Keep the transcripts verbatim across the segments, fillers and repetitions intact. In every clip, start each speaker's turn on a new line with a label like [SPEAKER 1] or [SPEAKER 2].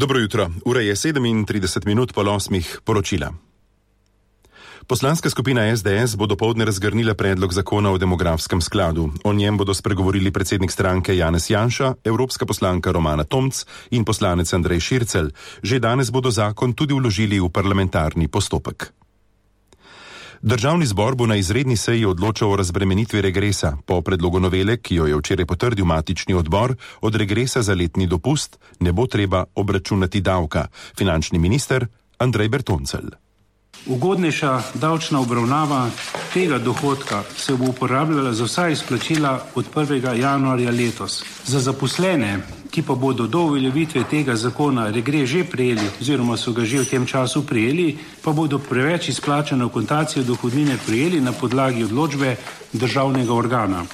[SPEAKER 1] Dobro jutro, ura je sedemintrideset minut po osmih, poročila. Poslanska skupina es de es bo dopoldne razgrnila predlog zakona o demografskem skladu. O njem bodo spregovorili predsednik stranke Janez Janša, evropska poslanka Romana Tomc in poslanec Andrej Šircelj. Že danes bodo zakon tudi vložili v parlamentarni postopek. Državni zbor bo na izredni seji odločal o razbremenitvi regresa. Po predlogu novele, ki jo je včeraj potrdil matični odbor, od regresa za letni dopust ne bo treba obračunati davka. Finančni minister Andrej Bertoncelj.
[SPEAKER 2] Ugodnejša davčna obravnava tega dohodka se bo uporabljala za vsa izplačila od prvega januarja letos. Za zaposlene, ki pa bodo do uveljavitve tega zakona regres že prejeli oziroma so ga že v tem času prejeli, pa bodo preveč izplačano akontacijo dohodnine prejeli na podlagi odločbe državnega organa.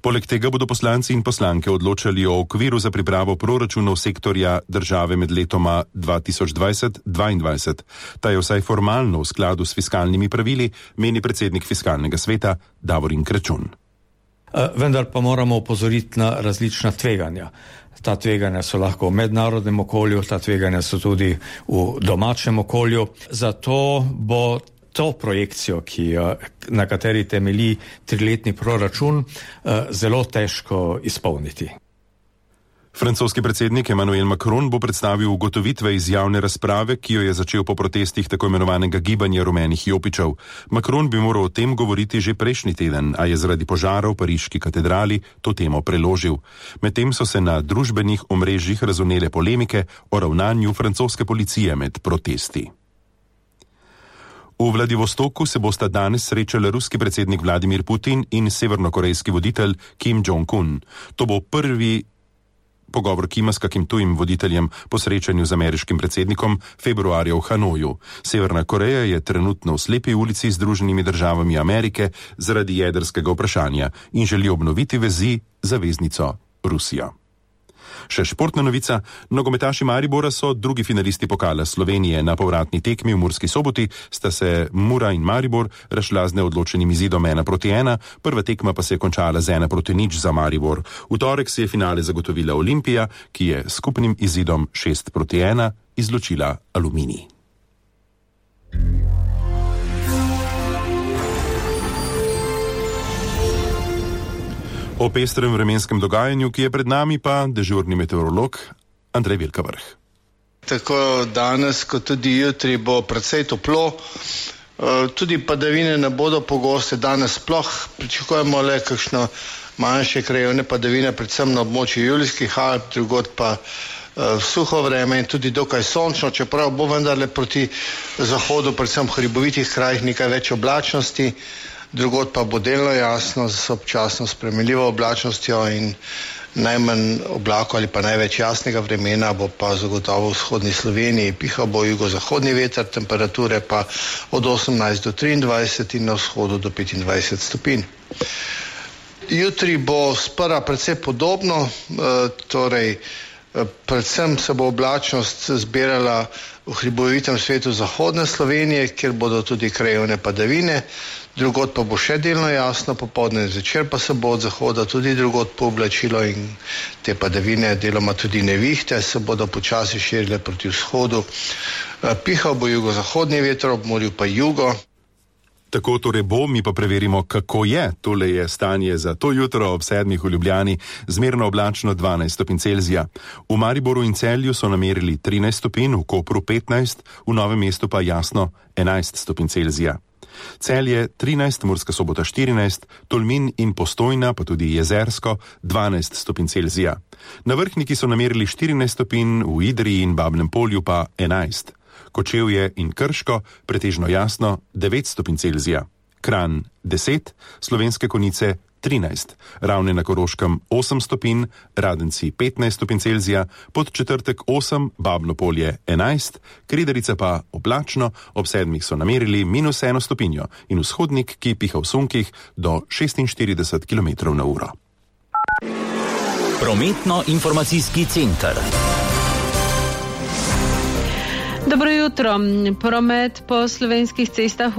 [SPEAKER 1] Poleg tega bodo poslanci in poslanke odločali o okviru za pripravo proračunov sektorja države med letoma dva tisoč dvajset do dvaindvajset. Ta je vsaj formalno v skladu s fiskalnimi pravili, meni predsednik fiskalnega sveta Davorin Kračun.
[SPEAKER 3] Vendar pa moramo opozoriti na različna tveganja. Ta tveganja so lahko v mednarodnem okolju, ta tveganja so tudi v domačem okolju. Zato bo to projekcijo, ki, na kateri temelji triletni proračun, zelo težko izpolniti.
[SPEAKER 1] Francoski predsednik Emmanuel Macron bo predstavil ugotovitve iz javne razprave, ki jo je začel po protestih tako imenovanega gibanja rumenih jopičev. Macron bi moral o tem govoriti že prejšnji teden, a je zaradi požara v pariški katedrali to temo preložil. Medtem so se na družbenih omrežjih razvnele polemike o ravnanju francoske policije med protesti. V Vladivostoku se bosta danes srečali ruski predsednik Vladimir Putin in severnokorejski voditelj Kim Jong-un. To bo prvi pogovor Kima s kakim tujim voditeljem po srečanju z ameriškim predsednikom februarja v Hanoju. Severna Koreja je trenutno v slepi ulici z Združenimi državami Amerike zaradi jedrskega vprašanja in želi obnoviti vezi z zaveznico Rusijo. Še športna novica, nogometaši Maribora so drugi finalisti pokala Slovenije. Na povratni tekmi v Murski Soboti sta se Mura in Maribor razšla z neodločenim izidom ena proti ena, prva tekma pa se je končala z ena proti nič za Maribor. V torek si je finale zagotovila Olimpija, ki je skupnim izidom šest proti ena izločila Aluminij. O pestrem vremenskem dogajanju, ki je pred nami, pa dežurni meteorolog Andrej Velkavrh.
[SPEAKER 4] Tako danes, kot tudi jutri bo precej toplo, tudi padavine ne bodo pogoste, danes sploh pričakujemo le kakšno manjše krajevne padavine, predvsem na območju Julijskih Alp, drugod pa suho vreme in tudi dokaj sončno, čeprav bo vendarle proti zahodu, predvsem v hribovitih krajih nekaj več oblačnosti. Drugod pa bo delno jasno z občasno spremenljivo oblačnostjo in najmanj oblakov ali pa največ jasnega vremena bo pa zagotovo v vzhodni Sloveniji. Pihal bo jugozahodni veter, temperature pa od osemnajst do triindvajset in na vzhodu do petindvajset stopinj. Jutri bo sprva precej podobno, torej predvsem se bo oblačnost zbirala v hribovitem svetu zahodne Slovenije, kjer bodo tudi krajevne padavine, drugod pa bo še delno jasno, popoldne zvečer pa se bo od zahoda tudi drugod pooblačilo in te padavine, deloma tudi nevihte, se bodo počasi širile proti vzhodu. Pihal bo jugozahodni veter, ob morju pa jugo.
[SPEAKER 1] Tako torej bo, mi pa preverimo, kako je. Tole je stanje za to jutro ob sedmih v Ljubljani, zmerno oblačno dvanajst stopinj Celzija. V Mariboru in Celju so namerili trinajst stopinj, v Kopru petnajst, v Novem mestu pa jasno enajst stopinj Celzija. Celje trinajst, Murska Sobota štirinajst, Tolmin in Postojna, pa tudi Jezersko, dvanajst stopinj Celzija. Na Vrhniki so namerili štirinajst stopinj, v Idriji in Babnem Polju pa enajst. Kočevje in Krško, pretežno jasno, devet stopinj Celzija. Kranj deset, Slovenske Konjice trinajst, Ravne na Koroškem osem stopinj, Radenci petnajst stopinj Celzija, Podčetrtek osem, Babno Polje enajst, Kredarica pa oblačno, ob sedmih so namerili minus eno stopinjo in vzhodnik, ki piha v sunkih do šestinštirideset kilometrov na uro.
[SPEAKER 5] Prometno-informacijski center.
[SPEAKER 6] Dobro jutro. Promet po slovenskih cestah